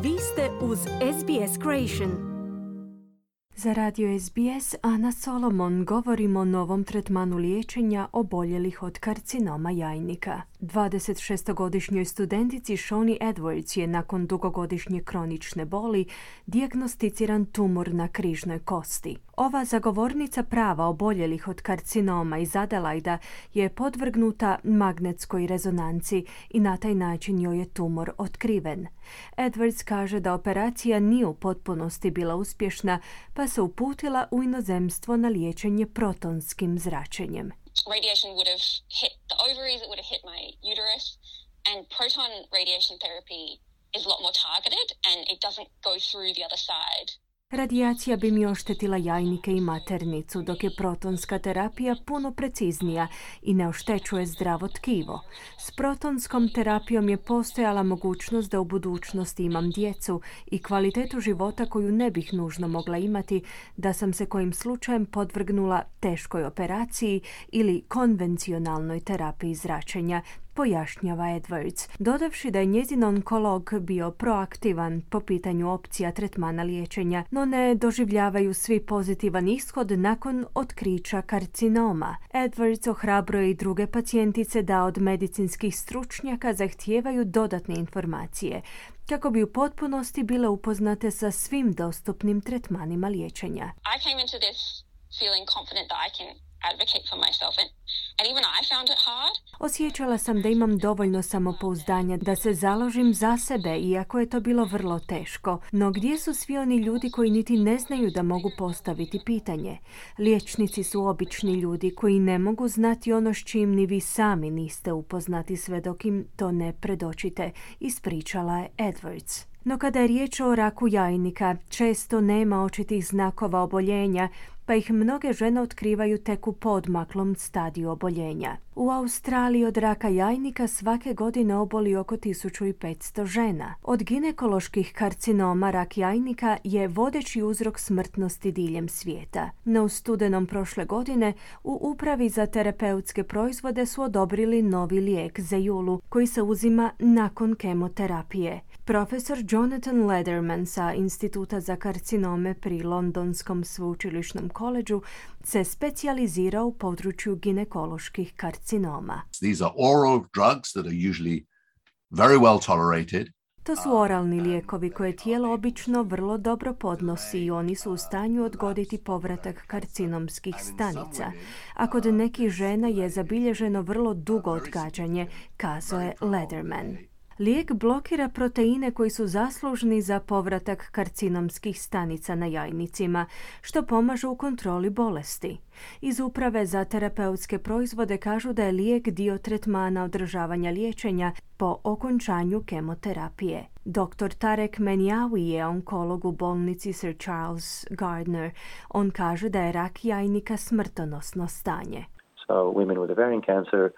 Vi ste uz SBS Creation. Za radio SBS Ana Solomon govorimo o novom tretmanu liječenja oboljelih od karcinoma jajnika. 26-godišnjoj studentici Shoni Edwards je nakon dugogodišnje kronične boli dijagnosticiran tumor na križnoj kosti. Ova zagovornica prava oboljelih od karcinoma iz Adelaida je podvrgnuta magnetskoj rezonanci i na taj način joj je tumor otkriven. Edwards kaže da operacija nije u potpunosti bila uspješna, pa se uputila u inozemstvo na liječenje protonskim zračenjem. Radiation would have hit the ovaries, it would have hit my uterus, and proton radiation therapy is a lot more targeted and it doesn't go through the other side. Radijacija bi mi oštetila jajnike i maternicu, dok je protonska terapija puno preciznija i ne oštećuje zdravo tkivo. S protonskom terapijom je postojala mogućnost da u budućnosti imam djecu i kvalitetu života koju ne bih nužno mogla imati da sam se kojim slučajem podvrgnula teškoj operaciji ili konvencionalnoj terapiji zračenja, pojašnjava Edwards, dodavši da je njezin onkolog bio proaktivan po pitanju opcija tretmana liječenja, no ne doživljavaju svi pozitivan ishod nakon otkrića karcinoma. Edwards ohrabruje i druge pacijentice da od medicinskih stručnjaka zahtijevaju dodatne informacije, kako bi u potpunosti bile upoznate sa svim dostupnim tretmanima liječenja. I came into this feeling confident that I can advocate for myself and even I found it hard. Osjećala sam da imam dovoljno samopouzdanja da se založim za sebe, iako je to bilo vrlo teško. No gdje su svi oni ljudi koji niti ne znaju da mogu postaviti pitanje? Liječnici su obični ljudi koji ne mogu znati ono s čim ni vi sami niste upoznati sve dok im to ne predočite, ispričala je Edwards. No kada je riječ o raku jajnika, često nema očitih znakova oboljenja, pa ih mnoge žene otkrivaju tek u podmaklom stadiju oboljenja. U Australiji od raka jajnika svake godine oboli oko 1500 žena. Od ginekoloških karcinoma rak jajnika je vodeći uzrok smrtnosti diljem svijeta. No u studenom prošle godine u Upravi za terapeutske proizvode su odobrili novi lijek Zejulu koji se uzima nakon kemoterapije. Profesor Jonathan Lederman sa Instituta za karcinome pri Londonskom sveučilišnom koledžu se specijalizira u području ginekoloških karcinoma. These are oral drugs that are usually very well tolerated. To su oralni lijekovi koje tijelo obično vrlo dobro podnosi i oni su u stanju odgoditi povratak karcinomskih stanica. A kod nekih žena je zabilježeno vrlo dugo odgađanje, kazao je Lederman. Lijek blokira proteine koji su zaslužni za povratak karcinomskih stanica na jajnicima, što pomaže u kontroli bolesti. Iz Uprave za terapeutske proizvode kažu da je lijek dio tretmana održavanja liječenja po okončanju kemoterapije. Dr. Tarek Menjawi je onkolog u bolnici Sir Charles Gardner. On kaže da je rak jajnika smrtonosno stanje. So women with ovarian cancer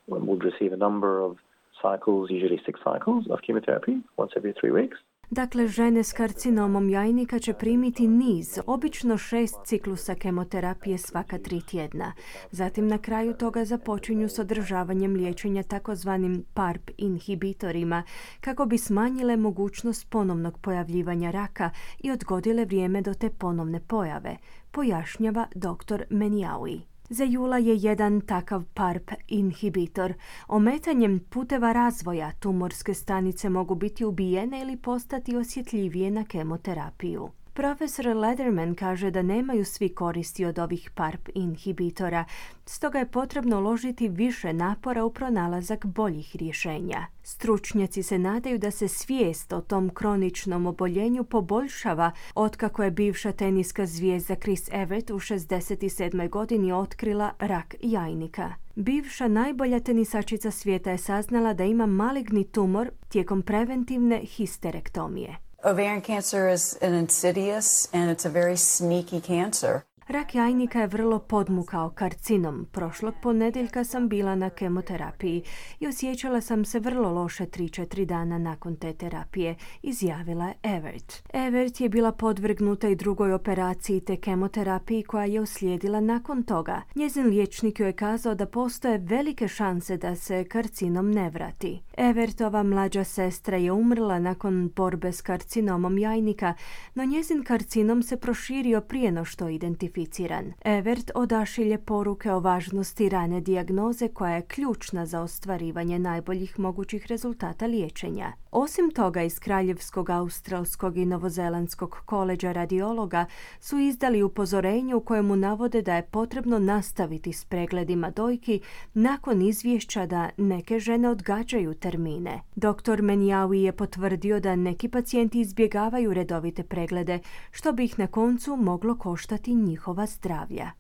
would receive a number of cycles, usually 6 cycles of chemotherapy once every 3 weeks. Dakle, žene s karcinomom jajnika će primiti niz, obično 6 ciklusa kemoterapije svaka 3 tjedna. Zatim na kraju toga započinju s održavanjem liječenja takozvanim PARP inhibitorima, kako bi smanjile mogućnost ponovnog pojavljivanja raka i odgodile vrijeme do te ponovne pojave, pojašnjava dr. Menjawi. Zejula je jedan takav PARP inhibitor. Ometanjem puteva razvoja tumorske stanice mogu biti ubijene ili postati osjetljivije na kemoterapiju. Profesor Lederman kaže da nemaju svi koristi od ovih PARP inhibitora, stoga je potrebno uložiti više napora u pronalazak boljih rješenja. Stručnjaci se nadaju da se svijest o tom kroničnom oboljenju poboljšava otkako je bivša teniska zvijezda Chris Evert u 67. godini otkrila rak jajnika. Bivša najbolja tenisačica svijeta je saznala da ima maligni tumor tijekom preventivne histerektomije. Ovarian cancer is an insidious and it's a very sneaky cancer. Rak jajnika je vrlo podmukao karcinom. Prošlog ponedjeljka sam bila na kemoterapiji i osjećala sam se vrlo loše 3-4 dana nakon te terapije, izjavila je Evert. Evert je bila podvrgnuta i drugoj operaciji te kemoterapiji koja je uslijedila nakon toga. Njezin liječnik joj je kazao da postoje velike šanse da se karcinom ne vrati. Evertova mlađa sestra je umrla nakon borbe s karcinomom jajnika, no njezin karcinom se proširio prije no što je identificiran. Evert odašilje poruke o važnosti rane dijagnoze koja je ključna za ostvarivanje najboljih mogućih rezultata liječenja. Osim toga, iz Kraljevskog, Australskog i Novozelandskog koleđa radiologa su izdali upozorenje u kojemu navode da je potrebno nastaviti s pregledima dojki nakon izvješća da neke žene odgađaju termine. Dr. Menjawi je potvrdio da neki pacijenti izbjegavaju redovite preglede, što bi ih na koncu moglo koštati njihova zdravlja.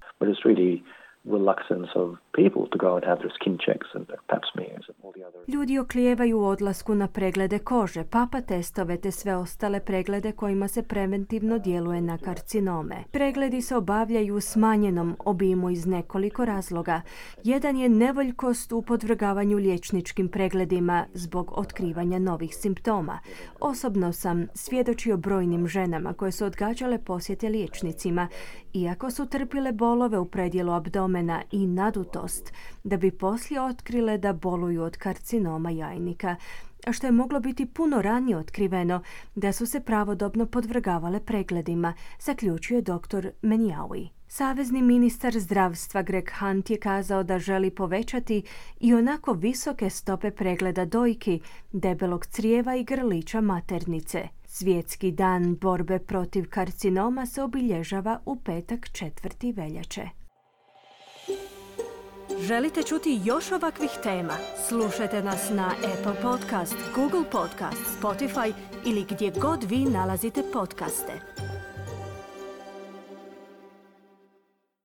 Reluctance of people to go and have their skin checks and their pap smears and all the other. Ljudi oklijevaju u odlasku na preglede kože, papa testove te sve ostale preglede kojima se preventivno djeluje na karcinome. Pregledi se obavljaju u smanjenom obimu iz nekoliko razloga. Jedan je nevoljkost u podvrgavanju liječničkim pregledima zbog otkrivanja novih simptoma. Osobno sam svjedočio brojnim ženama koje su odgađale posjete liječnicima, iako su trpile bolove u predjelu abdomena i nadutost, da bi poslije otkrile da boluju od karcinoma jajnika, a što je moglo biti puno ranije otkriveno da su se pravodobno podvrgavale pregledima, zaključuje dr. Menjawi. Savezni ministar zdravstva Greg Hunt je kazao da želi povećati i onako visoke stope pregleda dojki, debelog crijeva i grlića maternice. Svjetski dan borbe protiv karcinoma se obilježava u petak 4. veljače. Želite čuti još ovakvih tema? Slušajte nas na Apple Podcast, Google Podcast, Spotify ili gdje god vi nalazite podcaste.